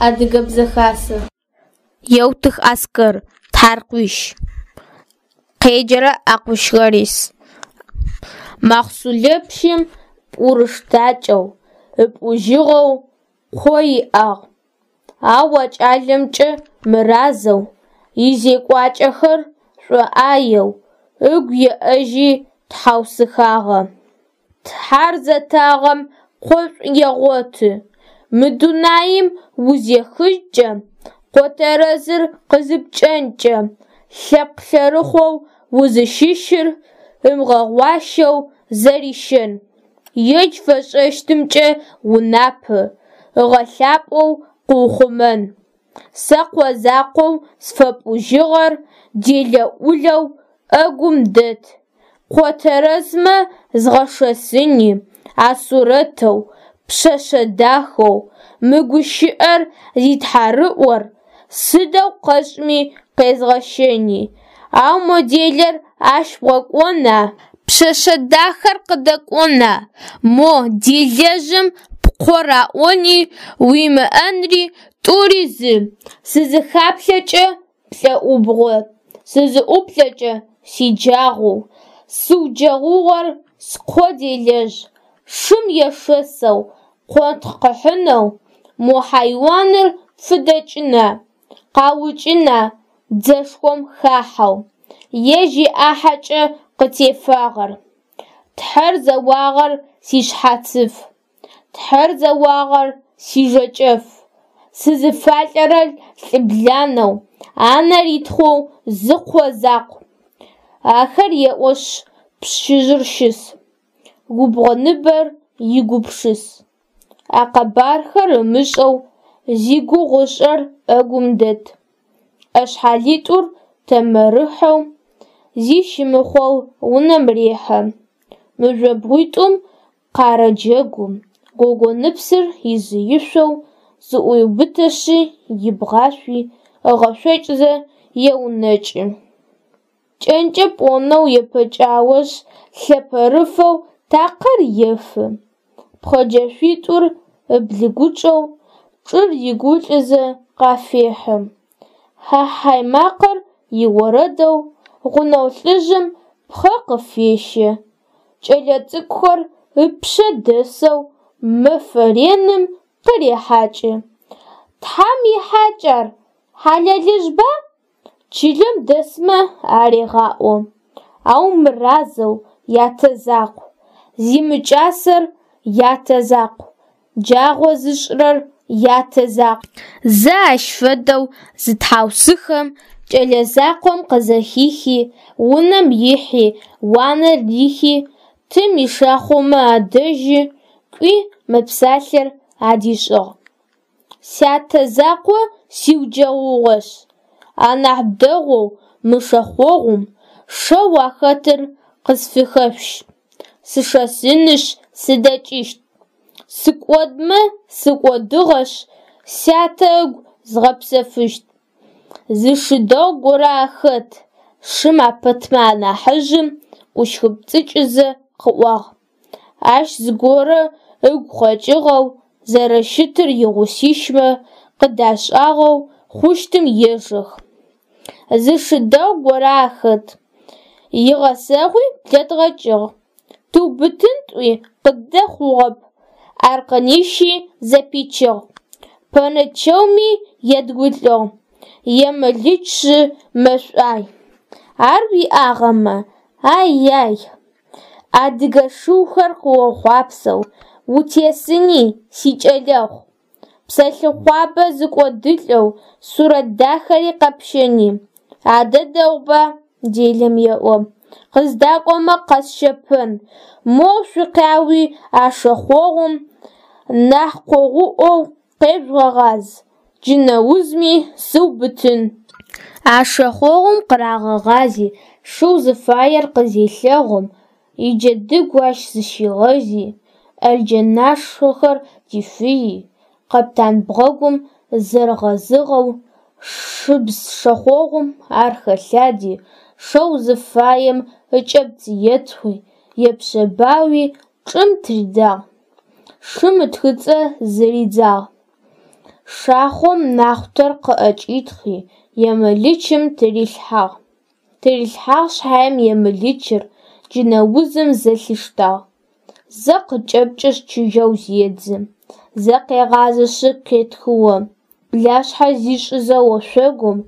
Адыгэ Бзэ Хасэ. Еутых Аскэр, «Тхьаркъуищ». Къеджэрэ Акъущ Ларис. Махъсулэпщым пӏурыштакӏэу, ыпӏужьыгъэу къо иӏагъ, ау а кӏалэмкӏэ мыразэу, изекӏуакӏэхэр шӏоӏаеу, ыгу еӏэжьи тхьаусыхагъэ: «Тхьар зэтагъэм къошӏу егъоты, мы дунаим узехыжькӏэ, къо тэрэзыр къызыпкӏэнкӏэ, лъэпкъ лъэрыхъоу узыщыщыр ымыгъэгъуащэу зэрищэн, ежь фэшӏэщтымкӏэ унапэ ыгъэлъапӏэу къыухъумэн. Сэ къо закъоу сфэпӏужьыгъэр делэ-ӏулэу ӏэгум дэт, къо тэрэзмэ згъэшэсыни, а сурэтэу, пшъэшъэ дахэу, мы гущыӏэр зитхьарыӏор сыдэу къэшӏми къезгъэщэни, ау мо делэр ащ бгъэкӏона, пшъэшъэ дахэр къыдэкӏона, мо делэжъым пкъо раӏони, уимыӏэнри тӏури зы, сызыхаплъэкӏэ плӏэӏубгъо, сызыӏуплъэкӏэ сиджагъоу, сыуджэгъугъэр скъо делэжъ, шым ешэсэу къонтхъ къыхьынэу мо хьайуаныр пфыдэкӏына, къаукӏына дзэшхом хахьэу, ежь иӏахьэкӏэ къытефагъэр. Тхьэр зэуагъэр сишъхьацыф, Тхьэр зэуагъэр сижэкӏэф, сызыфалӏэрэр лӏыбланэу, анэ ритхъоу зы къо закъу. Ахэр еӏошъ пщыжъыр щыс, губгъо ныбэр игупшыс. А къэбархэр ымышӏэу зигугъу ышӏрэр ӏэгум дэт. ӏэшъхьэлитӏур тэмэрыхьэу, зи щымыхъоу унэм рехьэ. Мыжъобгъуитӏум къарэджэгу, гогоныпсыр изы ишъоу зыӏуеубытэшъы ибгъашъуи ыгъэшъокӏзэ еунэкӏы. Кӏэнкӏэ пӏонэу епэкӏаошъ, лъэпэрыфэу такъэр ефы, пхъэджэшъуитӏур ыблыгучӏэу, чӏыр ригулӏызэ къафехьы. Хьэ-хьай макъэр иорэдэу гъунэгъу лӏыжъым пхъэ къыфещэ, кӏэлэцӏыкӏухэр ыпшъэ дэсэу мэфэ реным къырехьакӏы. Тхьам ихьакӏ ар, хьалэлыжъба? Чылэм дэсмэ арегъаӏо, ау мыразэу ятэ закъу, зимыкӏасэр ятэ закъу, джагъо зышӏырэр ятэ закъу. Зэ ащ фэдэу зытхьаусыхэм, кӏэлэ закъом къызэхихи, унэм ихьи, уанэр рихи, тым ишахъомэ адэжьы кӏуи мы псалъэр адишӏыгъ: «Сятэ закъо сиуджэгъугъэшъ, анахь дэгъоу мы шэхъогъум шэу ахэтыр къысфыхэшъущ, сышэсынышъ сыдэкӏыщт. Сыкӏодмэ сыкӏодыгъэшъ, сятэ ыгу згъэпсэфыщт». Зы шы дэгъу горэ ахэт, шым апэтмэ анахьыжъым ӏущхыпцӏыкӏызэ къыӏуагъ. Ащ зыгорэ ыгу къэкӏыгъэу зэрэщытыр игъусищмэ къыдашӏагъэу хъущтым ежэх. Зы шы дэгъу горэ ахэт, игъэсэгъуи блэдгъэкӏыгъ, тыубытын тӏуи къыддэхъугъэп, аркъэнищи зэпичыгъ, пэнэ чэуми едгулӏыгъ, емылычжъы мэшӏуай. Ар уиӏагъэмэ, ай-яй, адыгэ шыухэр къыохъуапсэу утесыни, сикӏэлэхъу, псэлъыхъуабэ зыкӏодылӏэу сурэт дахэри къэпщэни. Адэ дэгъуба, делэм еӏо, къыздакӏомэ къэсщэпэн, моу шъукъяуи а шэхъогъум нахь къогъуӏоу къежъугъэгъаз, джынэузми сыубытын. А шэхъогъум къырагъэгъази, шэу зыфаер къызелъэгъум, иджэдыгу ащ зыщигъэзи, ӏэлджэнашхъохэр дифыйи, къэптан бгъэгум зэрыгъэзыгъэу шыбз шэхъогъум ар хэлъади, шэу зыфаем ыкӏэпц етхъуи, епшъэбауи чӏым тыридзагъ, шым ытхыцӏэ зыридзагъ. Шахъом нахъутэр къыӏэкӏитхъи, емылычым тырилъхьагъ. Тырилъхьагъ шъхьаем емылычыр джынэузым зэлъиштагъ: зэ къыкӏэпкӏышъ чыжьэу зедзы, зэ къегъазэшъ къетхыо, блашъхьэ зишӏызэ ошъогум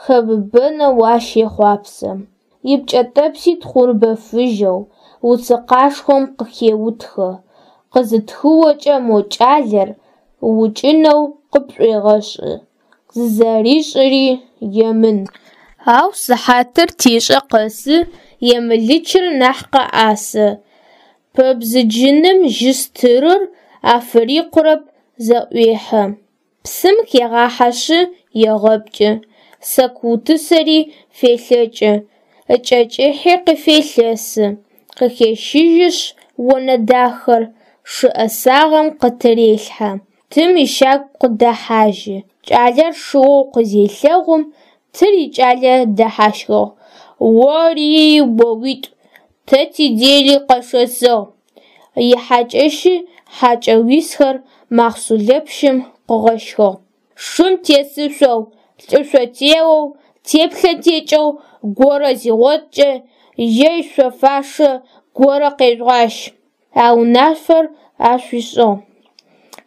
хэбыбэнэу ащ ехъуапсэ, ипкӏэнтӏэпси тхъурымбэ фыжьэу уцы къашхъом къыхеутхэ, къызытхыокӏэ мо кӏалэр ыукӏынэу къыпшӏуегъэшӏы, зызэришӏыри емын. Ау сыхьатыр тешӏэ къэсы емылычыр нахь къэӏасэ, пэбзыджыным жьы стырыр афырикъурэп, зэӏуехьэ. Псым хегъахьэшъы егъэпкӏы, сэку утысэри фелъэкӏы, ыкӏэ кӏыхьи къыфелъэсы, къыхещыжьышъ онэ дахэр шы ӏэсагъэм къытырелъхьэ, тым ищагу къыдэхьажьы. Кӏалэр шыоу къызелъэгъум, тыр икӏалэ дэхьащхыгъ: Ори-оуитӏу, тэ тидели къэшэсыгъ! Ихьакӏэщи хьакӏэу исхэр махъсулэпщым къыгъэщхыгъ: Шым тесышъоу, лӏышъо теоу, теплъэ текӏэу горэ зигъоткӏэ, ежь шъо-шъуашэ горэ къежъугъащ! А унашъор афишӏыгъ.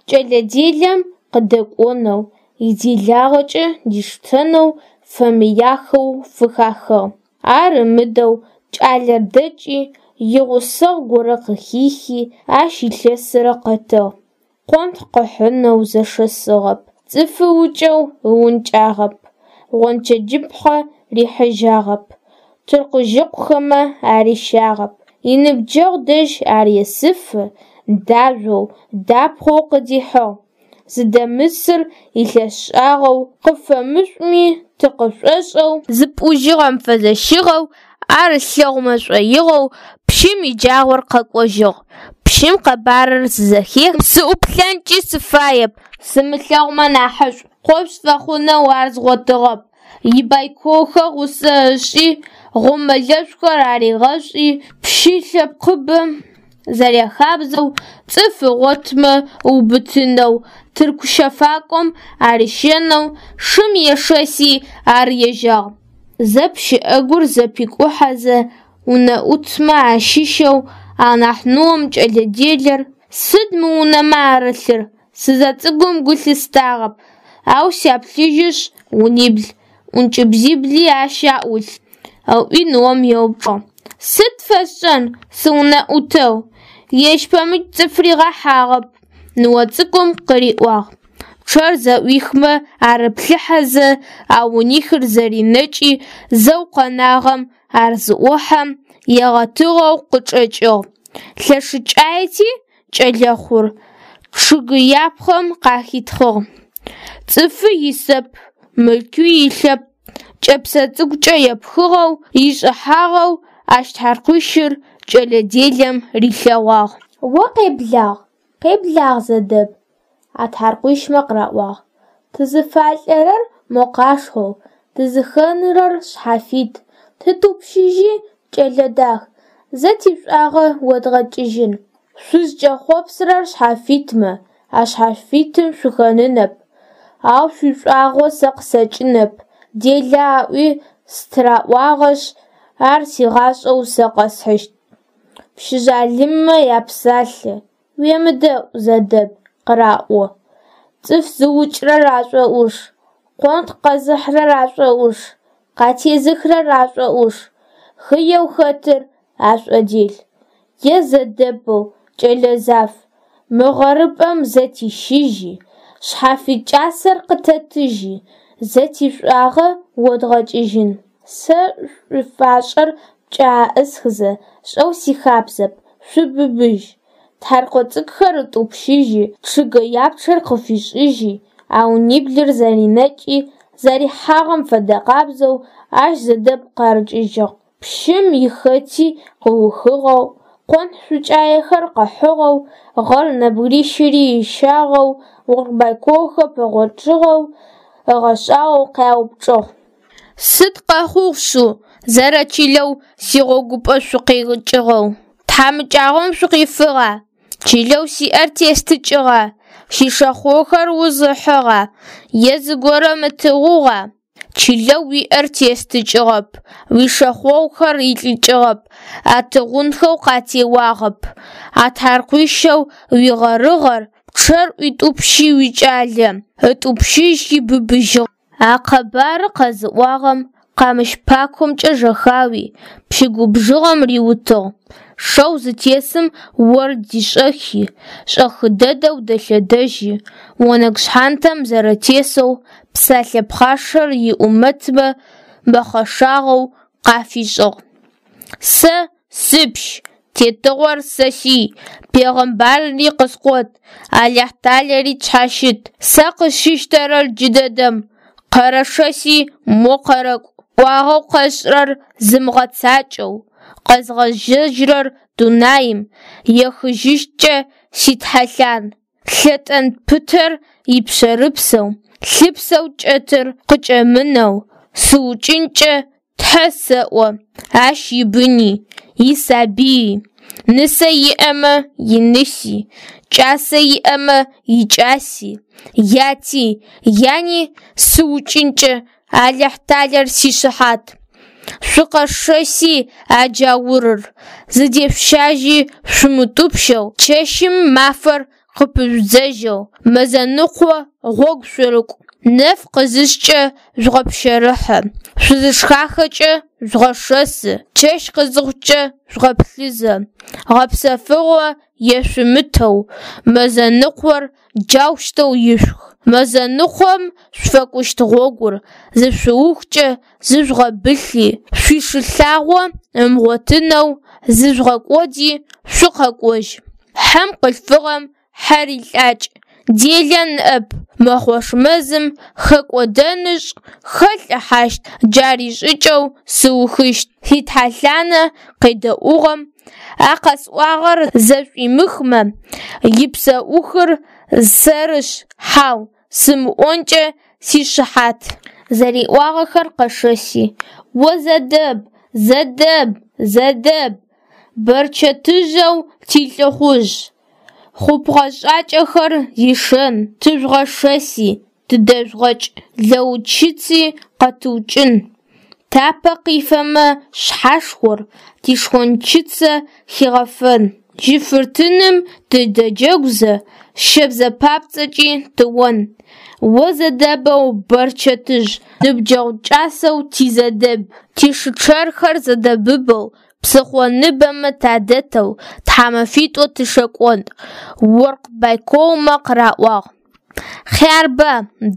Кӏэлэ делэм къыдэкӏонэу, иделагъэкӏэ диштэнэу фэмыяхэу фыхахыгъ. Ар ымыдэу кӏалэр дэкӏи, игъусэгъу горэ къыхихи, ащ илъэсырэ къэтыгъ. Къонтхъ къыхьынэу зэшэсыгъэп, цӏыф ыукӏэу ыункӏагъэп, гъончэджыпхъэ рихьыжьагъэп, тыркъужъыкъухэмэ арищагъэп. Иныбджэгъу дэжь ар есыфэ дажъоу, дапхъэу къыдихьыгъ. Зыдэмысыр илъэс шӏагъэу, къыфэмышӏуми ты къышӏошӏэу, зыпӏужьыгъэм фэзэщыгъэу, ар ылъэгъумэ шӏоигъоу пщым иджагъор къэкӏожьыгъ. Пщым къэбарыр зызэхехым: Сыӏуплъэнкӏи сыфаеп, сымылъэгъумэ нахьышӏу, къо сфэхъунэу ар згъотыгъэп. Ибайколхэр гъусэ ышӏи, гъомылэшӏухэр аригъэшӏи, пщы лъэпкъыбэм зэряхабзэу, цӏыф ыгъотмэ ыубытынэу, тырку щэфакӏом арищэнэу шым ешэси ар ежьагъ. Зэ пщыӏэгур зэпикӏухьэзэ, унэӏутмэ ащыщэу анахь ныом кӏэлэ делэр: «Сыд мы унэмэ арылъыр? Сызэцӏыкӏум гу лъыстагъэп, ау сяплъыжьышъ, унибл, ӏункӏыбзибли ащ аӏулъ», – ыӏуи ныом еупчӏыгъ. «Сыд фэсшӏэн, сыунэӏутэу, ежь пэмыкӏ цӏыф ригъэхьагъэп», – ныо цӏыкӏум къыриӏуагъ. Пчъэр зэӏуихмэ арыплъыхьэзэ, а унихыр зэринэкӏи, зэу къэнагъэм ар зыӏохьэм, егъэтыгъэу къычӏэкӏыгъ. Лъэшыкӏаети кӏэлэхъур, чъыгэяпхъэм къахитхъыгъ. Цӏыфи исэп, мылъкуи илъэп, кӏэпсэ цӏыкӏукӏэ епхыгъэу, ишӏыхьагъэу ащ тхьаркъуищыр кӏэлэ делэм рилъэгъуагъ. О къеблагъ, къеблагъ, Зэдэб, а тхьаркъуищмэ къыраӏуагъ. Тызыфалӏэрэр мо къашхъоу, тызыхэнырэр шъхьафит. Тытӏупщыжьи, кӏэлэ дах, зэ тишӏуагъэ одгъэкӏыжьын. Шъузкӏэхъопсырэр шъхьафитмэ, а шъхьафитым шъухэнынэп, ау шъуишӏуагъо сэ къысэкӏынэп, делэ аӏуи стыраӏуагъэшъ, ар сигъашӏэу сэ къэсхьыщт. Пщы жъалыммэ япсалъэ уемыдэӏу, Зэдэб, къыраӏо. Цӏыф зыукӏырэр ашӏоӏуш, къонтхъ къэзыхьырэр ашӏоӏуш, къатезыхырэр ашӏоӏуш, хыеу хэтыр ашӏодел. Е Зэдэбэу кӏэлэ заф, мы гъэрыпӏэм зэ тищыжьи, шъхьафит кӏасэр къытэтыжьи, зэ тишӏуагъэ одгъэкӏыжьын. Сэ шӏуфашӏэр пкӏэ аӏысхызэ сшӏэу сихабзэп, шъубыбыжь. Тхьэркъо цӏыкӏухэр ытӏупщыжьи, чъыгэяпчъэр къыфишӏыжьи, а униблыр зэринэкӏи, зэрихьагъэм фэдэкъабзэу ащ Зэдэб къарыкӏыжьыгъ. Пщым ихэти къыухыгъэу, къонтхъ шӏукӏаехэр къыхьыгъэу, гъэр нэбгырищыри ыщагъэу, оркъ-байколхэр пэгъочъыгъэу, ыгъэшӏагъоу къяупчӏыгъ. Сыд къэхъугъ шъыу, зэрэчылэу сигъогупэ шъукъикӏыгъэу? Тхьамыкӏагъом шъукъифыгъа, чылэу сиӏэр тестыкӏыгъа? Сишахъохэр уз ыхьыгъа е зыгорэм ытыгъугъа? Чылэу уиӏэр тестыкӏыгъэп, уишэхъогъухэр илӏыкӏыгъэп, атыгъунхэу къатеуагъэп. А тхьаркъуищэу уигъэрыгъэр пчъэр ӏуитӏупщи уикӏалэ ытӏупщыжьи быбыжьыгъэ. А къэбарыр къэзыӏуагъэм къамыщ пакомкӏэ жэхауи, пщы губжыгъэм риутыгъ. Шэу зытесым ор дишӏэхи, шӏэхы дэдэу дэлъэдэжьи, онэгу шъхьантэм зэрэтесэу псэлъэ пхъашэр иӏумэтмэ мэхъэшагъоу къафишӏыгъ: Сэ сыпщ, тетыгъор сэсый, пегъэмбарыри къыскъот, Алахьталэри тшъхьащыт. Сэ къысщыщтэрэр джыдэдэм къэрэшэси мо къэрэкӏу. ӏуагъэу къэсшӏырэр зымыгъэцакӏэу, къэзгъэзэжьырэр дунаим ехыжьыщткӏэ ситхьэлъан. Лъэтэн пытэр ипшъэрыпсэу, лъыпсэу кӏэтыр къыкӏэмынэу сыукӏынкӏэ тхьэ сэӏо ащ ибыни, исабыйи, нысэ иӏэмэ иныси, кӏасэ иӏэмэ икӏаси, яти, яни сыукӏынкӏэ Алахьталэр сишыхьат. Шъукъэшэси а джаурыр, зыдешъущажьи шъумытӏупщэу, чэщым мафэр къыпыжъудзэжьэу мэзэныкъо гъогу шъурыкӏу. Нэф къызышъкӏэ жъугъэпщэрыхьэ, шъузышхахэкӏэ жъугъэшэсы, чэщ къызыхъукӏэ жъугъэплъызэ, гъэпсэфыгъо ешъумытэу мэзэныкъор джаущтэу ишъух. Мэзэныкъом шъуфэкӏущт гъогур зышъуухкӏэ зыжъугъэбылъи, шъуишылъагъо ымыгъотынэу зыжъугъэкӏоди шъукъэкӏожь. Хьэм къылъфыгъэм хьэр илӏакӏ, делэ ныӏэп, Мэхъош мэзым хэкӏодэнышъ, хэлӏыхьащт, джар ишӏыкӏэу сыухыщт. Ситхьэлъанэ къедэӏугъэм а къэсӏуагъэр зэшӏуимыхмэ, ипсэӏухыр сэрышъ, хьау сымыӏонкӏэ сишыхьат. Зэриӏуагъэхэр къэшэси: О Зэдэб, Зэдэб, Зэдэб, бэрчэтыжъэу тилӏыхъужъ, хъупхъэ-шӏакӏэхэр зишэн, тыжъугъэшэси, тыдэжъугъэкӏ, лэучыци къэтыукӏын, тапэ къифэмэ шъхьашхор тишхончыцэ хигъэфэн, жьыфыртыным тыдэджэгузэ, щэбзэ папцӏэкӏи тыон. О Зэдэбэу бэрчэтыжъ, ныбджэгъу кӏасэу ти Зэдэб, тишы чъэрхэр зэдэбыбэу псыхъо ныбэмэ тадэтэу тхьамэфитӏо тышэкӏон, оркъ байколмэ къыраӏуагъ. Хъярба,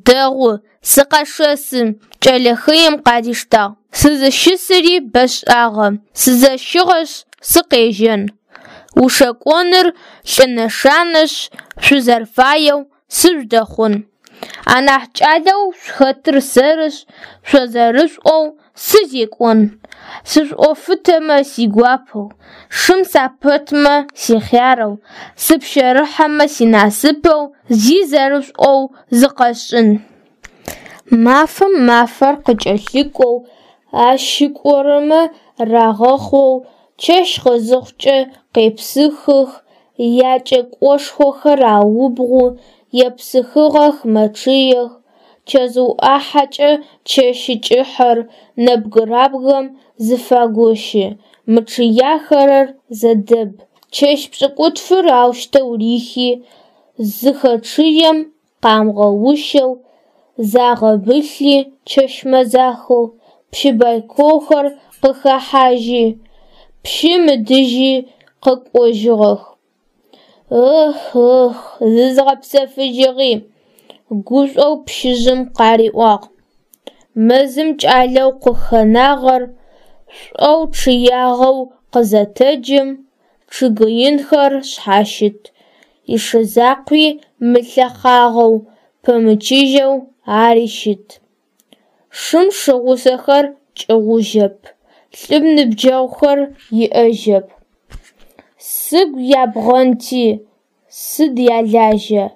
дэгъу, сыкъэшэсы, кӏэлэ хыем къадиштагъ. Сызыщысыри бэшӏагъэ, сызэщыгъэшъ, сыкъежьэн. Ушэкӏоныр лӏы нэшанэшъ, шъузэрэфаеу сыжъудэхъун. Анахь кӏалэу шъухэтыр сэрышъ, шъо зэрэшъуӏоу сызекӏон. Сышъуӏофытэмэ сигуапэу, шым сапэтмэ сихъярэу, сыпщэрыхьэмэ синасыпэу зи зэрэшъуӏоу зыкъэсшӏын. Мафэм мафэр къыкӏэлъыкӏоу, ащ кӏорэмэ рагъэхъоу, чэщ къызыхъукӏэ къепсыхых, якӏэкӏошхохэр аубгъу, епсыхыгъэх, мэчъыех. Чэзыу ӏахьэкӏэ чэщы кӏыхьэр нэбгырабгэм зыфагощы, мычъыяхэрэр Зэдэб. Чэщ пшӏыкӏутфыр аущтэу рихи, зыхэчъыем, къамыгъэущэу, загъэбылъи чэщ мэзахэу пщы байколхэр къыхэхьажьи, пщым ыдыжьи къэкӏожьыгъэх. Ых-ых, зызгъэпсэфыжьыгъи, гушӏоу пщыжъым къариӏуагъ. Мэзым кӏалэу къыхэнагъэр шӏоу чъыягъэу къызэтэджым, чъыг инхэр шъхьащыт, ишы закъуи мылъэхъагъэу пэмычыжьэу ари щыт. Шым шы гъусэхэр кӏыгъужьэп, лӏым ныбджэгъухэр иӏэжьэп. Сыгу ябгъэнти сыд ялажьа,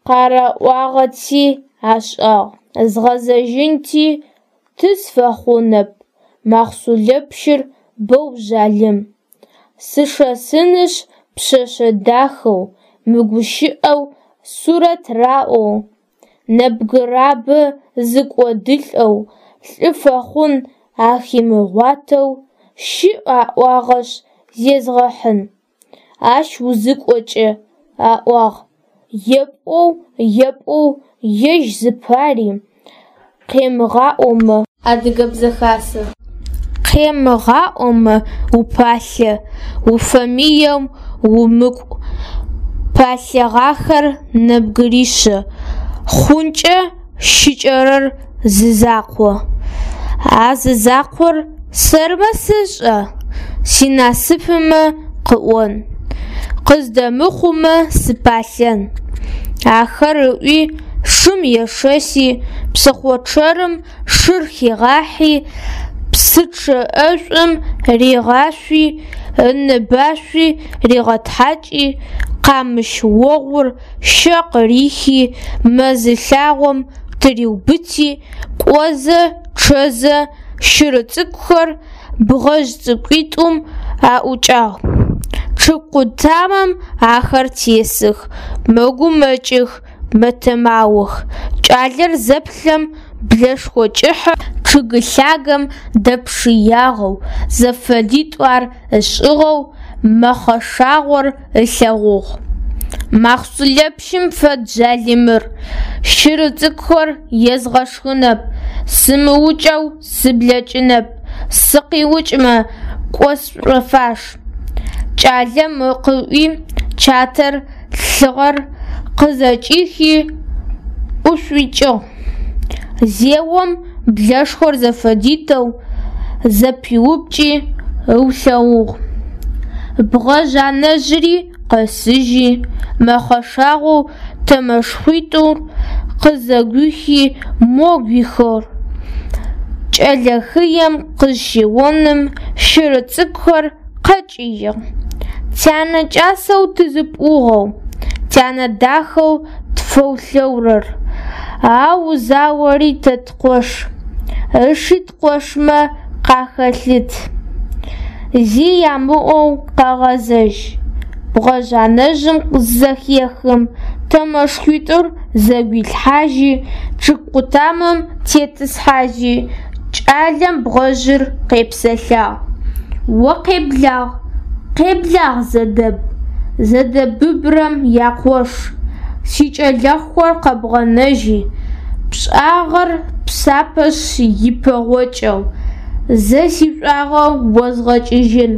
къараӏуагъэти ашӏагъ, згъэзэжьынти ты сфэхъунэп, махъсулэпщыр боу жъалым. Сышэсынышъ пшъэшъэ дахэу, мыгущыӏэу Сурэт раӏоу, нэбгырабэ зэкӏодылӏэу, лӏы фэхъун ахимыгъуатэу щыӏ аӏуагъэшъ зезгъэхьын. Ащ узыкӏокӏэ, аӏуагъ, епӏоу епӏоу ежь зыпари къемыгъаӏомэ. Адыгэбзэ хасэ. Къемыгъаӏомэ упалъэ, уфэмыеу умыкӏу. Палъэгъахэр нэбгыришъэ хъункӏэ щыкӏэрэр зызакъу. А зызакъор сэрмэ сэшӏа, синасыпмэ къыӏон, къыздэмыхъумэ сыпалъэн. Ахэр ыӏуи шым ешэси, псыхъо чъэрым шыр хигъахьи, псы чъыӏэшӏум ригъашъуи, ыныбашъуи ригъэтхьакӏи, къамыщ огъур щэ къырихи, мэзы лъагъом тыриубыти, кӏозэ чъэзэ щыр цӏыкӏухэр бгъэжъ цӏыкӏуитӏум аӏукӏагъ. Чъыг къутамэм ахэр тесых, мэгумэкӏых, мэтэмаох. Кӏалэр зэплъэм блэшхо кӏыхьэр чъыг лъагэм дэпшыягъэу, зэфэдитӏу ар ышӏыгъэу, мэхъэшагъор ылъэгъугъ. Махъсулэпщым фэд жъалымыр, щыр цӏыкӏухэр езгъэшхынэп, сымыукӏэу сыблэкӏынэп, сыкъиукӏмэ, кӏо сшӏофаш. Кӏалэм къыӏуи, чатэр лъыгъэр къызэкӏихи, ӏушъуикӏыгъ. Зеом блэшхор зэфэдитӏоу зэпиупкӏи ыулъэгугъ. Бгъэжъ анэжъри къэсыжьи, мэхъэшагъоу тэмэшхуитӏур къызэгуихи мо гуихыгъ. Кӏэлэ хыем къызщеоным щыр цӏыкӏухэр къэкӏыигъ. Тянэ кӏасэу тызыпӏугъэу, тянэ дахэу тфэулъэурэр, ау узаори тэ ткъош, ыши ткъошмэ къахэлъыт. Зи ямыӏоу къэгъэзэжь. Бгъэжъ анэжъым зызэхехым, тэмэшхуитӏур зэгуилъхьажьи, чъыг къутамэм тетӏысхьажьи, кӏалэм бгъэжъыр къепсэлъагъ: О къеблагъ, къеблагъ, Зэдэб, зэдэбыбрэм якъош, сикӏэлэхъухэр къэбгъэнэжьи, пшӏагъэр псапэшъ ипэгъокӏэу, зэ сишӏуагъэ озгъэкӏыжьын.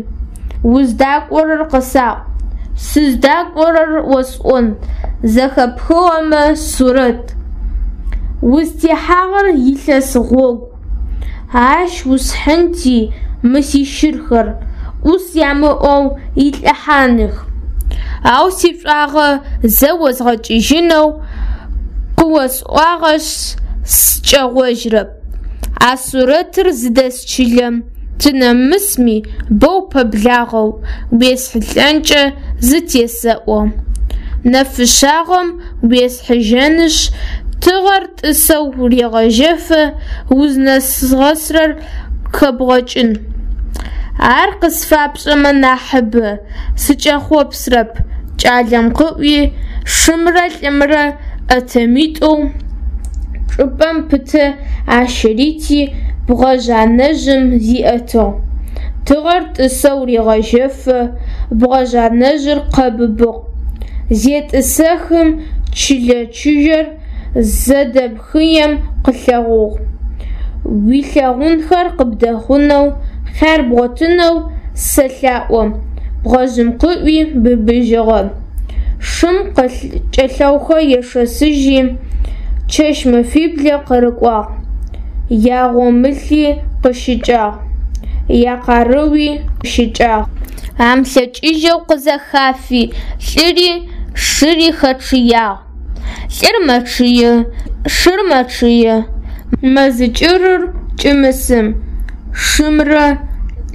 Уздакӏорэр къысаӏу, сыздакӏорэр осӏон, зэхэпхыгъэмэ, Сурэт. Узтехьагъэр илъэс гъогу, ащ усхьынти мы сищырхэр ӏус ямыӏэу илӏыхьаных. Ау сишӏуагъэ зэ озгъэкӏыжьынэу къыосӏуагъэшъ, сыкӏэгъожьырэп. А сурэтыр зыдэс чылэм тынэмысми боу пэблагъэу уесхьылӏэнкӏэ зытесэӏо. Нэфышъагъэм уесхьыжьэнышъ, тыгъэр тӏысэу регъэжьэфэ узнэзгъэсырэр хэбгъэкӏын. Ар къысфапшӏэмэ нахьыбэ сыкӏэхъопсырэп, кӏалэм къыӏуи, шымрэ лӏымрэ ӏэтэмитӏоу чӏыпӏэм пытэ ащырити, бгъэжъ анэжъым зиӏэтыгъ. Тыгъэр тӏысэу регъэжьэфэ бгъэжъ анэжъыр къэбыбыгъ. Зетӏысэхым чылэ чыжьэр Зэдэб хыем къылъэгъугъ. Уилъэгъунхэр къыбдэхъунэу, хъяр бгъотынэу сэлъаӏо, бгъэжъым къыӏуи быбыжьыгъэ. Шым кӏэлъэухэр ешэсыжьи, чэщ-мэфиблэ къырыкӏуагъ. Ягъомыли къыщыкӏагъ, якъарыуи къыщыкӏагъ. Амылъэкӏыжьэу къызэхафи, лӏыри шыри хэчъыягъ. Лӏыр мэчъые, шыр мэчъые, мэзы кӏырыр кӏымысым. Шымрэ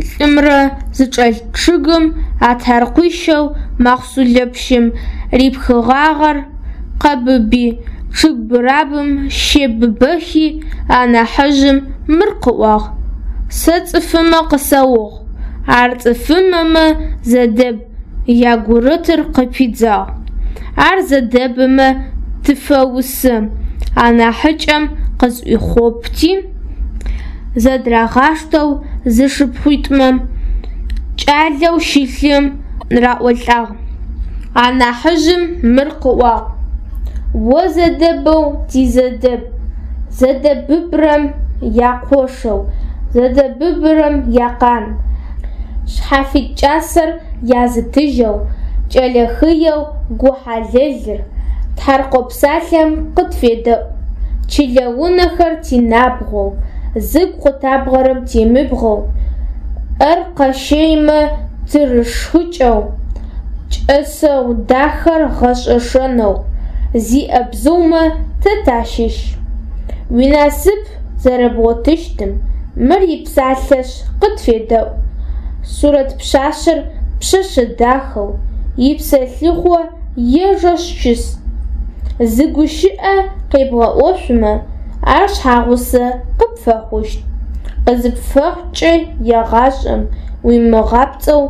лӏымрэ зычӏэлъ чъыгым атаркъуищэу Махъсулэпщым рипхыгъагъэр къэбыби, чъыг бырабым щебыбэхи, анахьыжъым мыр къыӏуагъ: Сэ цӏыфымэ къысаугъ. Ар цӏыфымэмэ Зэдэб ягурытыр къыпидзагъ. Ар зэдэбымэ тыфэусэ, анахьыкӏэм къызӏуипхъоти, зэдырагъаштэу зэшыпхъуитӏумэ кӏалэу щылъым раӏолӏагъ. Анахьыжъым мыр къыӏуагъ: О зэдэбэу тизэдэб, зэдэбыбрэм якъошэу, зэдэбыбрэм якъан, шъхьафит кӏасэр язытыжьэу, кӏэлэ хыеу гу хьалэлыр, тхьэркъо псалъэм къытфедэӏу. Чылэ унэхэр тинабгъоу, зыгу къытабгъэрэм темыбгъэу, ӏэр къащэймэ тырышхыкӏэу, кӏэсэ дахэр гъэшӏэ шэнэу зиӏэ бзыумэ тэ тащыщ. Уинасып зэрэбгъотыщтым мыр ипсалъэшъ къытфедэӏу. Сурэт пшъашъэр пшъэшъэ дахэу, ипсэлъыхъо ежэшъ щыс. Зы гущыӏэ къебгъэӏошъумэ, ар шъхьагъусэ къыпфэхъущт. Къызыпфэхъукӏэ егъашӏэм уимыгъапцӏэу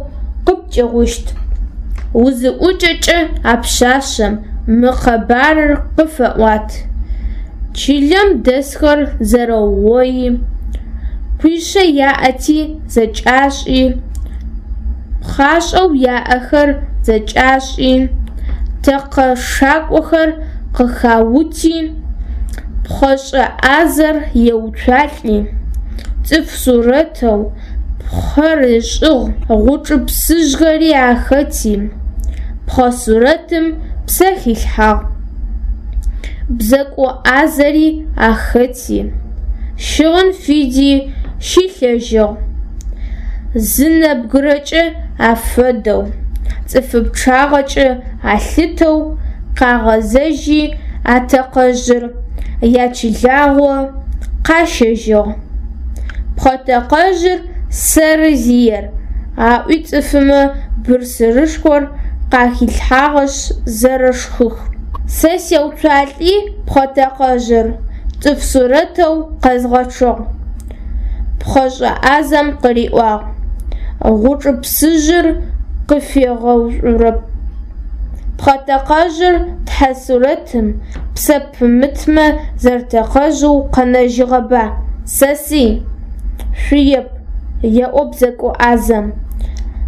къыпкӏыгъущт. Узыӏукӏэкӏэ а пшъашъэм мы къэбарыр къыфэӏуат. Чылэм дэсхэр зэрэугъои, къуишъэ яӏэти зэкӏашӏи, пхъашӏэу яӏэхэр зэкӏашӏи, тэкъэ шакӏохэр къыхаути, пхъэшӏэ ӏазэр еуцуалӏи, цӏыф сурэтэу пхъэр ышӏыгъ, гъучӏыпсыжъхэри ахэти, пхъэ сурэтым псэ хилъхьагъ. Бзэко ӏазэри ахэти, щыгъын фиди щилъэжьыгъ. Зы нэбгырэкӏэ афэдэу, цӏыфы пчъагъэкӏэ алъытэу къагъэзэжьи атэкъэжъыр ячылагъо къащэжьыгъ. Пхъэтэкъэжъыр сэры зиер, аӏуи цӏыфымэ бырсырышхор къахилъхьагъэшъ зэрэшхых. Сэ сеуцуалӏи пхъэтэкъэжъыр цӏыф сурэтэу къэзгъэчъыгъ. Пхъэшӏэ ӏазэм къыриӏуагъ: Гъучӏыпсыжъыр къыфегъэуцурэп. Пхъэтэкъэжъыр тхьэ сурэтым псэ пымытмэ зэрэтэкъэжъэу къэнэжьыгъэба, сэсый? Шъуеп, еӏо бзэко ӏазэм.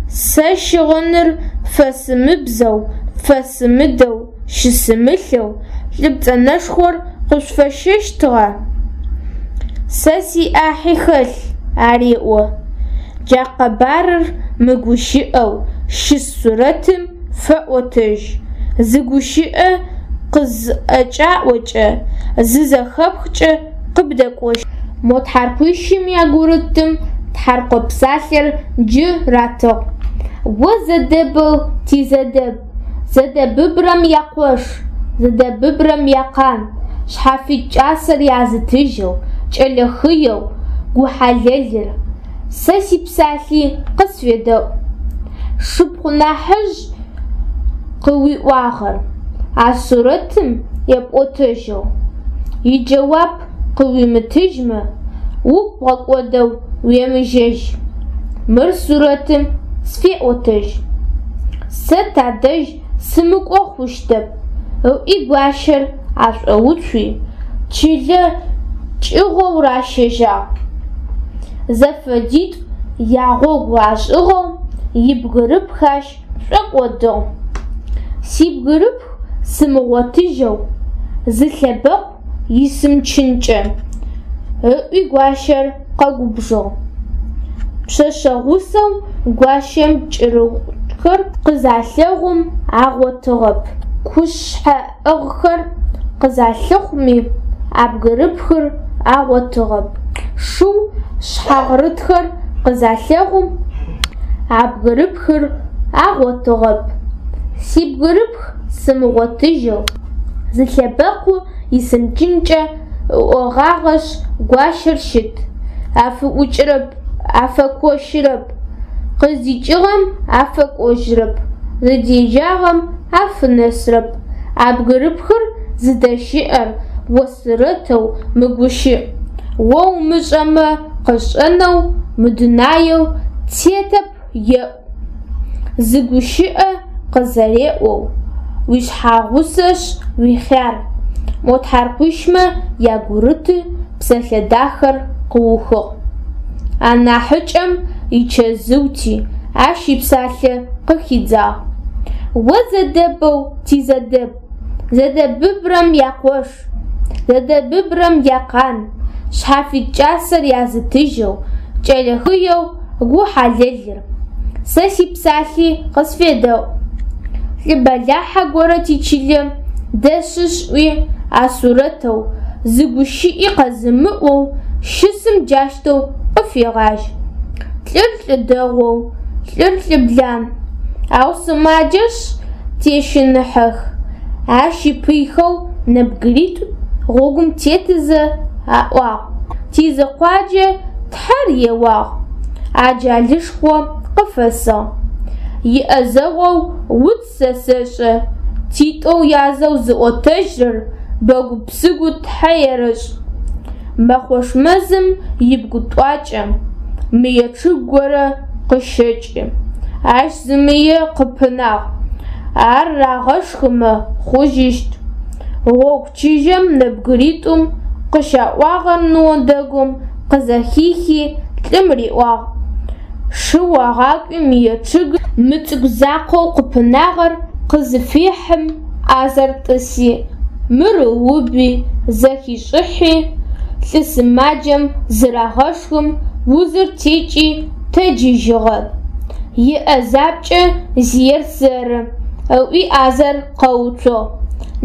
Сэ щыгъыныр фэсымыбзэу, фэсымыдэу щысымылъэу лӏы пцӏэнэшхор къышъуфэсщэщтыгъа? Сэ сиӏахьи хэлъ, ареӏо. Джа къэбарыр мыгущыӏэу щыс сурэтым фэӏотэжь. Зы гущыӏэ къызӏэкӏаӏокӏэ, зызэхэпхкӏэ къыбдэкӏощт. Мо тхьаркъуищым ягурытым тхьаркъо псалъэр джы ратыгъ. О зэдэбэу тизэдэб, зэдэбыбрэм якъош, зэдэбыбрэм якъан, шъхьафит кӏасэр язытыжьэу, кӏэлэ хыеу гу хьалэлыр, сэ сипсалъи къысфедэӏу. Сшыпхъу нахьыжъ къыуиӏуагъэр а сурэтым епӏотэжьэу, иджэуап къыуимытыжьмэ, угу бгъэкӏодэу уемыжьэжь. Мыр сурэтым сфеӏотэжь. Сэ тадэжь сымыкӏо хъущтэп, ыӏуи гуащэр ашӏоуцуи, чылэ кӏыгъоу ращэжьагъ. Зэфэдитӏу ягъогу ашӏыгъэу ибгырыпх ащ шӏокӏодыгъ. Сибгырыпх сымыгъотыжьэу зы лъэбэкъу исымычынкӏэ, ыӏуи гуащэр къэгубжыгъ. Пшъэшъэ гъусэу гуащэм кӏырыгъухэр къызалъэгъум агъотыгъэп. Кушъхьэӏыгъхэр къызалъыхъуми а бгырыпхыр агъотыгъэп. Шыу шъхьагърытхэр къызалъэгъум а бгырыпхыр агъотыгъэп. Сибгырыпх сымыгъотыжьэу зы лъэбэкъу исымычынкӏэ ыӏогъагъэшъ гуащэр щыт, афыӏукӏырэп, афэкощырэп, къыздикӏыгъэм афэкӏожьырэп, зыдежьагъэм афынэсырэп. А бгырыпхыр зыдэщыӏэр о сурэтэу мыгущыӏ, о умышӏэмэ къышӏэнэу мы дунаеу тетэп еӏу. Зы гущыӏэ къызэреӏоу. Уишъхьагъусэшъ уихъяр, мо тхьаркъуищмэ ягурыты псэлъэ дахэр къыухыгъ. Анахьыкӏэм ичэзыути, ащ ипсалъэ къыхидзагъ. О Зэдэбэу ти Зэдэб, Зэдэбыбрэм якъош, Зэдэбыбрэм якъан, шъхьафит кӏасэр язытыжьэу, кӏэлэ хыеу гу хьалэлыр, сэ сипсалъи къысфедэӏу. Лӏы бэлахьэ горэ тичылэ дэсышъ ӏуи, а Сурэтэу, зы гущыӏи къэзымыӏоу щысым джащтэу къыфегъажь. Лӏыр лӏы дэгъоу, лӏыр лӏы блан, ау сымаджэшъ тещыныхьэх. Ащ ипыйхэу нэбгыритӏу гъогум тетызэ аӏуагъ, Тизыкъуаджэ Тхьэр еуагъ, аджалышхо къыфэсыгъ. Иӏэзэгъоу уц сэ сэшӏэ, титӏоу язэу зыӏотэжьрэр бэгу-псыгу Тхьэ ерэшӏ. Мэхъош мэзым ибгы тӏуакӏэ мые чъыг горэ къыщэкӏы. Ащ зы мые къыпынагъ. Ар рагъэшхымэ хъужьыщт. Гъогу чыжьэм нэбгыритӏум къыщаӏуагъэр ныо дэгум къызэхихи, лӏым риӏуагъ, Шыу агъакӏуи мые чъыгым мы цӏыкӏу закъоу къыпынагъэр къызыфехьым, ӏазэр тӏыси, мыр ыуби, зэхишӏыхьи, лӏы сымаджэм зырагъэшхым, узыр текӏи тэджыжьыгъэ. Иӏэзапкӏэ зиер сэры, ыӏуи ӏазэр къэуцугъ.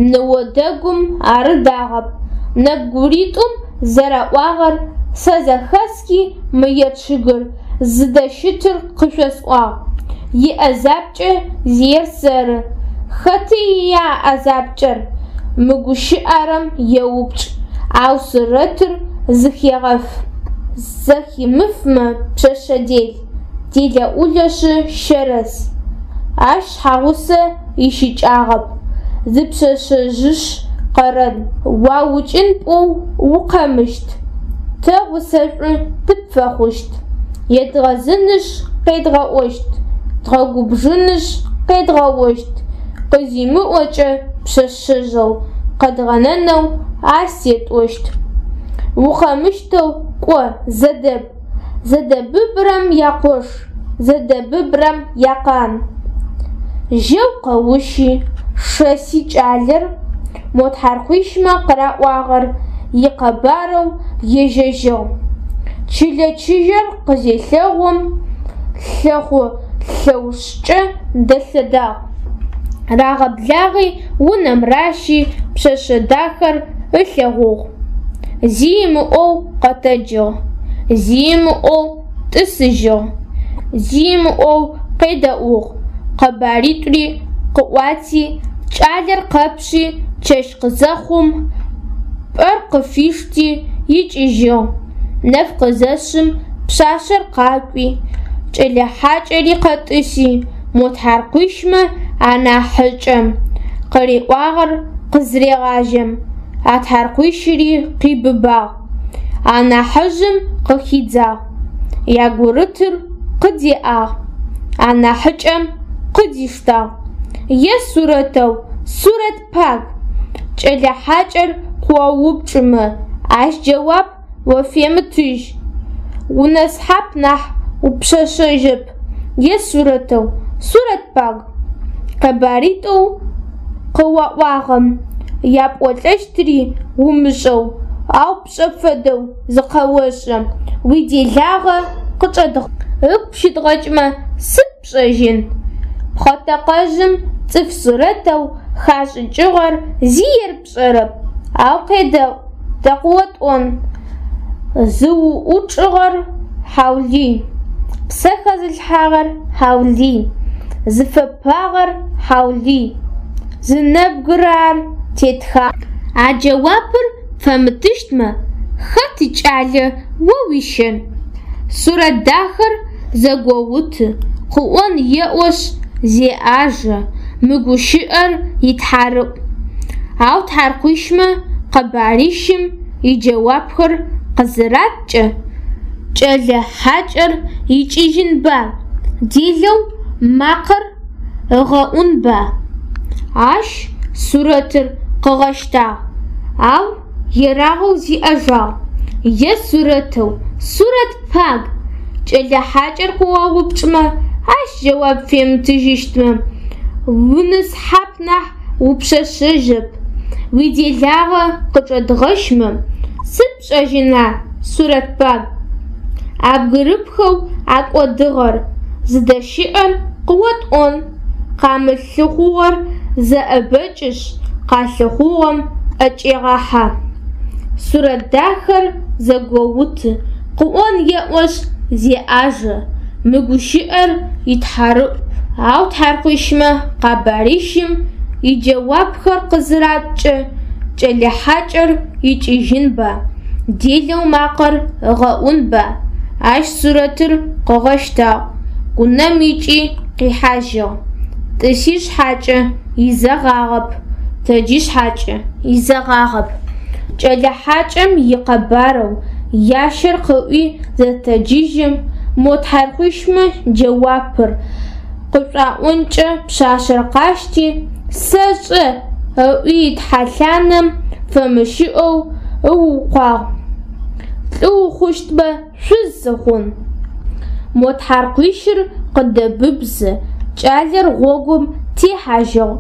Ныо дэгум ар ыдагъэп. Нэбгыритӏум зэраӏуагъэр сэ зэхэсхи мые чъыгыр зыдэщытыр къышъосӏуагъ. Иӏэзапкӏэ зиер сэры. Хэты ия а ӏэзапкӏэр? Мыгущыӏэрэм еупчӏ, ау сурэтыр зыхегъэф. Зэхимыфмэ, пшъэшъэ дел, делэӏулэшъы щэрэс. Ащ шъхьагъусэ ищыкӏагъэп, зы пшъэшъэжъышъ къэрэн. Уаукӏын пӏоу укъэмыщт, тэ гъусэшӏу тыпфэхъущт. Едгъэзынышъ къедгъэӏощт, дгъэгубжынышъ къедгъэощт, къызимыӏокӏэ пшъэшъэжъэу къэдгъэнэнэу ащ етӏощт. Укъэмыщтэу кӏо, Зэдэб, Зэдэбыбрэм якъош, Зэдэбыбрэм якъан. Жьэу къэущи, шэси кӏалэр, мо тхьаркъуищмэ къыраӏуагъэр икъэбарэу ежьэжьыгъ. Чылэ чыжьэр къызелъэгъум, лъэхъу лъэушкӏэ дэлъэдагъ. Рагъэблагъи унэм ращи пшъэшъэ дахэр ылъэгъугъ. Зи ымыӏоу къэтэджыгъ, зи ымыӏоу тӏысыжьыгъ, зи ымыӏоу къедэӏугъ, къэбаритӏури къыӏуати, кӏалэр къэпши чэщ къызэхъум, пӏэр къыфишти икӏыжьыгъ. Нэф къызэшъым пшъашъэр къакӏуи, кӏэлэ хьакӏэри къэтӏыси, мо тхьаркъуищмэ анахьыкӏэм къыриӏуагъэр къызрегъажьэм, а тхьаркъуищыри къибыбагъ. Анахьыжъым къыхидзагъ, ягурытыр къыдеӏагъ, анахьыкӏэм къыдиштагъ. Е Сурэтэу, Сурэт паг, кӏэлэ хьакӏэр къыоупчӏымэ, ащ джэуап офемытыжь. Унэсхьап нахь упшъэшъэжьэп, е Сурэтэу, Сурэт паг, къэбаритӏоу къыуаӏуагъэм япӏолӏэщтыри умышӏэу, ау пшӏэ фэдэу зыкъэошӏы, уиделагъэ ыгу пщыдгъэкӏмэ сыд пшӏэжьын? Пхъэтэкъэжъым цӏыф сурэтэу хашӏыкӏыгъэр зиер пшӏэрэп, ау къедэӏу, тэ къыотӏон. Зыуӏучӏыгъэр хьаулый, псэ хэзылъхьагъэр хьаулый, зыфэпагъэр хьаулый, зы нэбгырэ ар тетхагъ. А джэуапыр пфэмытыщтмэ, хэт икӏалэ о уищэн? Сурэт дахэр зэгоуты, къыӏон еӏошъ, зеӏажэ, мы гущыӏэр итхьарыӏу. Ау тхьаркъуищмэ къэбарищым иджэуапхэр къызыраткӏэ, кӏэлэ хьакӏэр икӏыжьынба, делэу макъэр ыгъэӏунба? Ащ Сурэтыр къыгъэщтагъ, ау ерагъэу зиӏэжагъ. Е Сурэтэу, Сурэт паг, кӏэлэ хьакӏэр къыоупчӏымэ, ащ джэуап фемытыжьыщтмэ, унысхьап нахь упшъэшъэжъэп. Уиделагъэ къычӏэдгъэщмэ, сыд пшӏэжьына, Сурэт паг? А бгырыпхэу акӏодыгъэр зыдэщыӏэр къыотӏон. Къамылъыхъугъэр зэӏэбэкӏышъ, къалъыхъугъэм ӏэкӏегъахьэ. Сурэт дахэр зэгоуты, къыӏон еӏошъ, зеӏажэ, мы гущыӏэр итхьарыӏу. Ау тхьаркъуищмэ къэбарищым иджэуапхэр къызыраткӏэ, кӏэлэ хьакӏэр икӏыжьынба, делэу макъэр ыгъэӏунба, ащ Сурэтыр къыгъэщтагъ, унэм икӏи къихьажьыгъ. Тӏыси шъхьакӏэ, изэгъагъэп, тэджи шъхьакӏэ, изэгъагъэп. Кӏэлэ хьакӏэм икъэбарэу ящэр къыӏуи зэтэджыжьым, мо тхьаркъуищмэ джэуапыр къышӏуаӏонкӏэ пшъашъэр къащти, сэшӏэ ыӏуи тхьэлъанэм фэмыщыӏэу ыукъуагъ. Лӏы ухъущтмэ, шъуз сыхъун. Мо тхьаркъуищыр къыдэбыбзэ, кӏалэр гъогум техьажьыгъ.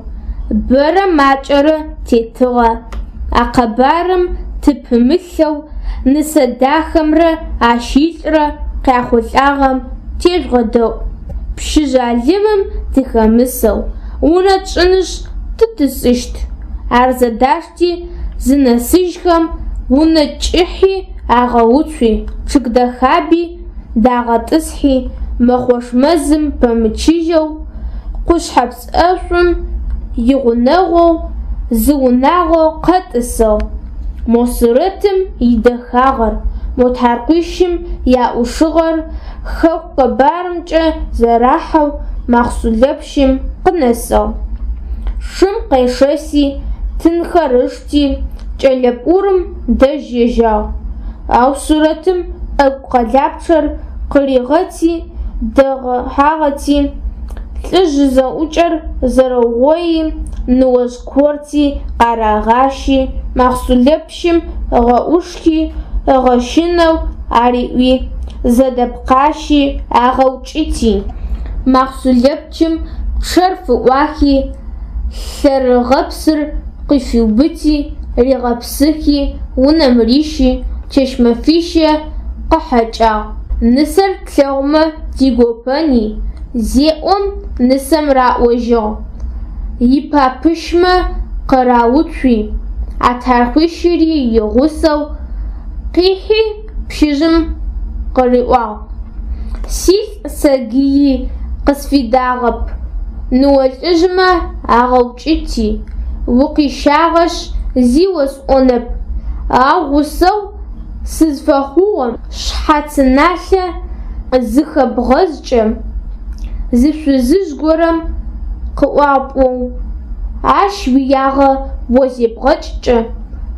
Бэрэ макӏэрэ тетыгъэ. А къэбарым тыпымылъэу Нысэдахэмрэ ащ илӏрэ къяхъулӏагъэм тежъугъэдэӏу. Пщы жъалымым тыхэмысэу унэ тшӏынышъ тытӏысыщт. Ар зэдашти зынэсыжьхэм, унэ кӏыхьи агъэуцуи, чъыг дэхаби дагъэтӏысхьи, Мэхъош мэзым пэмычыжьэу, къушъхьэпс ӏэшӏум игъунэгъоу зы унагъо къэтӏысыгъ. Мо сурэтым идэхагъэр, мо тхьаркъуищым яӏушыгъэр хэку къэбарымкӏэ зэрахьэу Махъсулэпщым къынэсыгъ. Шым къешэси, тынхэр ышти, кӏэлэ пӏурым дэжь ежьагъ. Ау сурэтым ӏэгу къэлапчъэр къыригъэти, дэгъэхьагъэти, лӏыжъ зэӏукӏэр зэрэугъои, ныожъ корти къарагъащи, Махъсулэпщым ыгъэӏушхи, ыгъэщынэу ариӏуи, зэдэпкъащи, агъэукӏыти, Махъсулэпщым пчъэр фыӏуахи, лъэрыгъэпсыр къыфиубыти, ригъэпсыхи, унэм рищи, чэщ-мэфищэ къыхьэкӏагъ. Нысэр тлъэгъумэ тигопэни, зеӏом, нысэм раӏожьыгъ. Ипапыщмэ къырауцуи, а тхьаркъуищыри игъусэу къихьи пщыжъым къыриӏуагъ, Силӏ сэгыи къысфидагъэп, ныо лӏыжъмэ агъэукӏыти, укъищагъэшъ зи осӏонэп, ау гъусэгъу сызфэхъугъэм шъхьацыналъэ зыхэбгъэзкӏэ, зы шъузыжъ горэм къыӏуагъ пӏоу, ащ уиягъэ о зебгъэкӏкӏэ,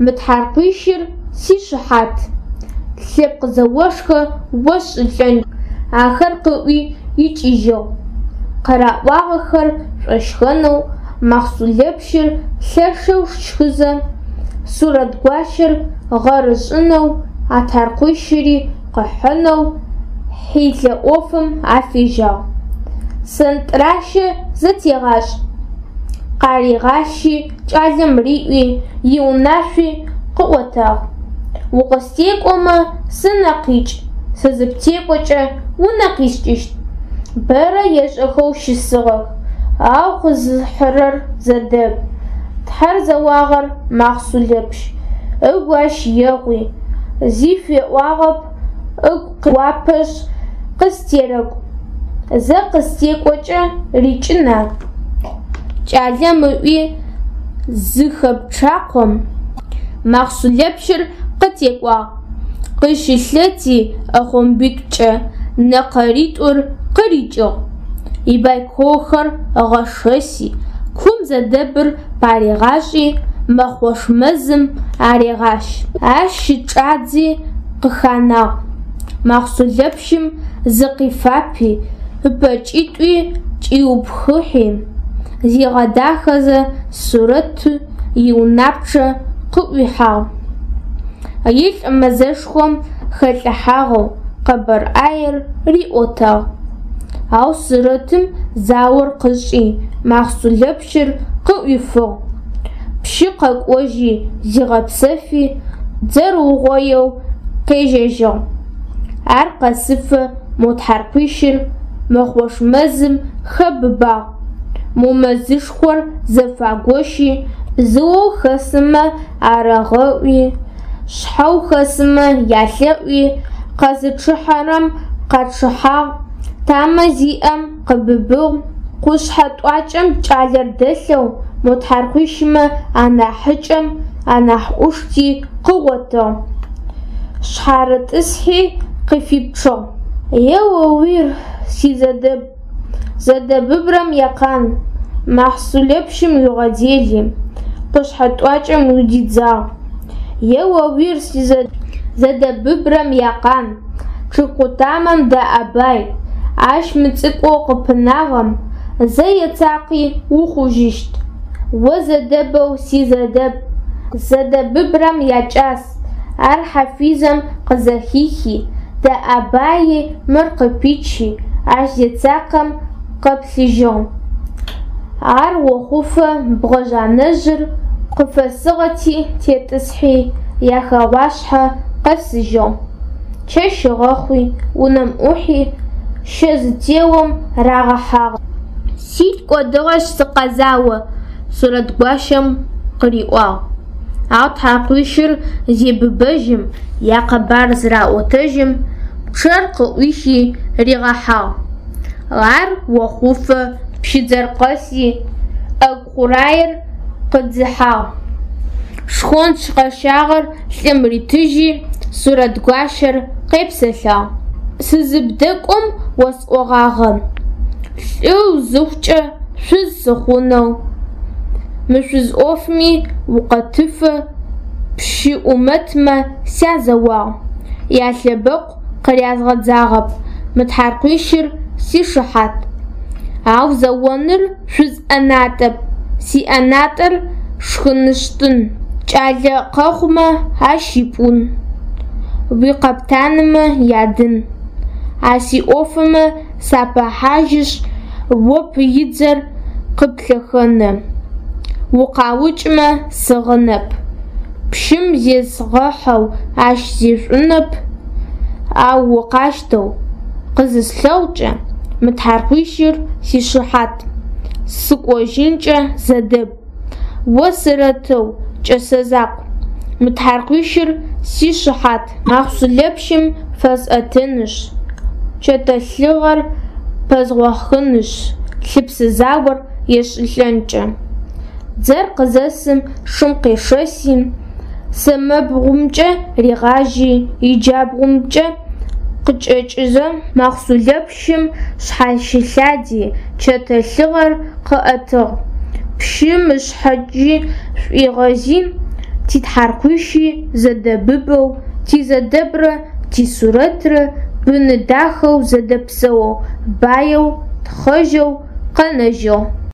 мы тхьаркъуищыр сишыхьат, лъэпкъ зэошхо осшӏылӏэн. Ахэр къыӏуи икӏыжьыгъ. Къыраӏуагъэхэр шӏощхэнэу Махъсулэпщыр лъэшэу щхызэ, Сурэт гуащэр гъэр ышӏынэу, а тхьаркъуищыри къыхьынэу хьилэ ӏофым афежьагъ. Сэнтӏращэ зэтегъашӏ! Къаригъащи, кӏалэм риӏуи, иунашъуи къыӏотагъ. Укъыстекӏомэ, сынэ къикӏ, сэ зыптекӏокӏэ, унэ къискӏыщт. Бэрэ ешӏэхэу щысыгъэх, ау къызыхьырэр зэдэб. Тхьэр зэуагъэр Махъсулэпщ, ыгу ащ егъуи, зи феӏуагъэп, ыгу къеуапэшъ, къыстерэкӏу. Зэ къыстекӏокӏэ рикӏына? Кӏалэм ыӏуи зыхэпчъакъом, Махъсулэпщыр къытекӏуагъ, къыщылъэти ӏэхъомбитӏукӏэ нэкъэритӏур къырикӏыгъ. Ибайколхэр ыгъэшэси, кум зэдэбыр паригъашӏи, Мэхъош мэзым арегъащ. Ащ щычӏадзи къыханагъ. Махъсулэпщым зыкъифапи, ыпэкӏитӏуи кӏиупхыхьи. Зигъэдахэзэ Сурэт иунапчъэ къыӏуихьагъ. Илӏ мэзышхом хэлӏыхьагъэу къэбар ӏаер риӏотагъ. Ау Сурэтым заор къышӏи, Махъсулэпщыр къыӏуифыгъ. Пщы къэкӏожьи, зигъэпсэфи, дзэр ыугъоеу къежьэжьыгъ. Ар къэсыфэ мо тхьаркъуищыр Мэхъош мэзым хэбыбагъ. Мо мэзышхор зэфагощи, зыоу хэсымэ арагъэӏуи, шъхьэу хэсымэ ялъэӏуи, къэзычъыхьэрэм къачъыхьагъ, тамэ зиӏэм къыбыбыгъ, къушъхьэ тӏуакӏэм кӏалэр дэлъэу мо тхьаркъуищымэ анахьыкӏэм анахь ӏушти къыгъотыгъ. Шъхьарытӏысхьи къыфипчъыгъ. Еоуир, си Зэдэб, Зэдэбыбрэм якъан, Махъсулэпщым уигъэдели, къушъхьэ тӏуакӏэм удидзагъ. Еоуир, си Зэдэбыбрэм якъан, чъыг къутамэм дэӏабай, ащ мыцӏыкӏоу къыпынагъэм зэ ецакъи ухъужьыщт. О Зэдэбэу си Зэдэб, Зэдэбыбрэм якӏас, ар хьафизэм къызэхихи, дэӏабаи мыр къыпичи, ащ зецакъэм къэплъыжьыгъ. Ар охъуфэ бгъэжъ анэжъыр къыфэсыгъэти тетӏысхьи, яхэгъуашъхьэ къэсыжьыгъ. Чэщ ыгъэхъуи, унэм ӏухьи, щэ зытеом рагъэхьагъ. Силӏ кӏодыгъэшъ сыкъэзао, Сурэт гуащэм къыриӏуагъ. Ау тхьаркъуищыр зебыбэжьым, якъэбар зыраӏотэжьым, пчъэр къыӏуихи ригъэхьагъ. Ар охъуфэ пщыдзэр къэси, ӏэгу хъураер къыдзыхьагъ. Шхонч къэщагъэр лӏым ритыжьи, Сурэт гуащэр къепсэлъагъ. Сызыбдэкӏом осӏогъагъэ, лӏы узыхъукӏэ шъуз сыхъунэу. Мы шъуз ӏофми укъэтыфэ пщы ӏумэтмэ сязэуагъ, ялъэбэкъу къырязгъэдзагъэп, мы тхьаркъуищыр сишыхьат. Ау зэоныр шъуз ӏэнатӏэп, сиӏэнатӏэр шхынышӏтын, кӏалэ къэхъумэ ащ ипӏун, уикъэптанымэ ядын. А сиӏофымэ сапэхьажьышъ, о пыидзэр къыплъэхэнэ, укъаукӏымэ сыгъынэп, пщым зезгъэхьэу ащ зешӏунэп, ау укъащтэу къызыслъэгъукӏэ, мы тхьаркъуищыр сишыхьат, сыкӏожьынкӏэ Зэдэб, о Сурэтэу кӏэсэ закъу, мы тхьаркъуищыр сишыхьат. Махъсулэпщым фэсӏэтынышъ, чэтэ лъыгъэр пэзгъохынышъ, лъыпсы заор есшӏылӏэнкӏэ. Дзэр къызэсым шым къешэси, сэмэбгъумкӏэ ригъажьи, иджабгъумкӏэ къыкӏэкӏызэ, Махъсулэпщым шъхьащылъади, чэтэ лъыгъэр къыӏэтыгъ, пщым ышъхьэкӏи шӏуигъэзи, титхьаркъуищи зэдэбыбэу, ти Зэдэбрэ ти Сурэтрэ быны дахэу зэдэпсэоу, баеу, тхъэжьэу къэнэжьыгъ.